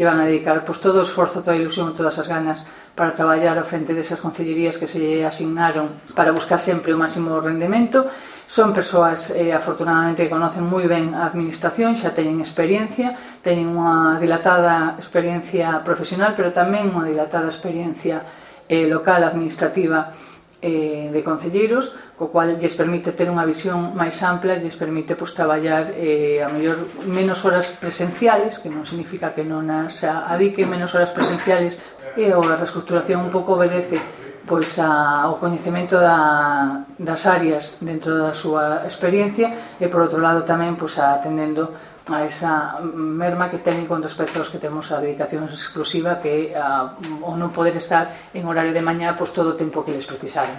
e van a dedicar todo o esforzo, toda a ilusión, todas as ganas para traballar ao frente desas concellerías que se asignaron para buscar sempre o máximo rendemento. Son persoas, afortunadamente, que conocen moi ben a administración, xa teñen experiencia, teñen unha dilatada experiencia profesional, pero tamén unha dilatada experiencia local, administrativa, de concelleiros, co cual lles permite ter unha visión máis ampla, lles permite traballar a mellor menos horas presenciales, que non significa que non as adiquen menos horas presenciales, e a reestructuración un pouco obedece ao coñecemento das áreas dentro da súa experiencia e, por outro lado, tamén atendendo a esa merma que teñen con respecto aos que temos a dedicación exclusiva, que o non poder estar en horario de mañá todo o tempo que les precisaron.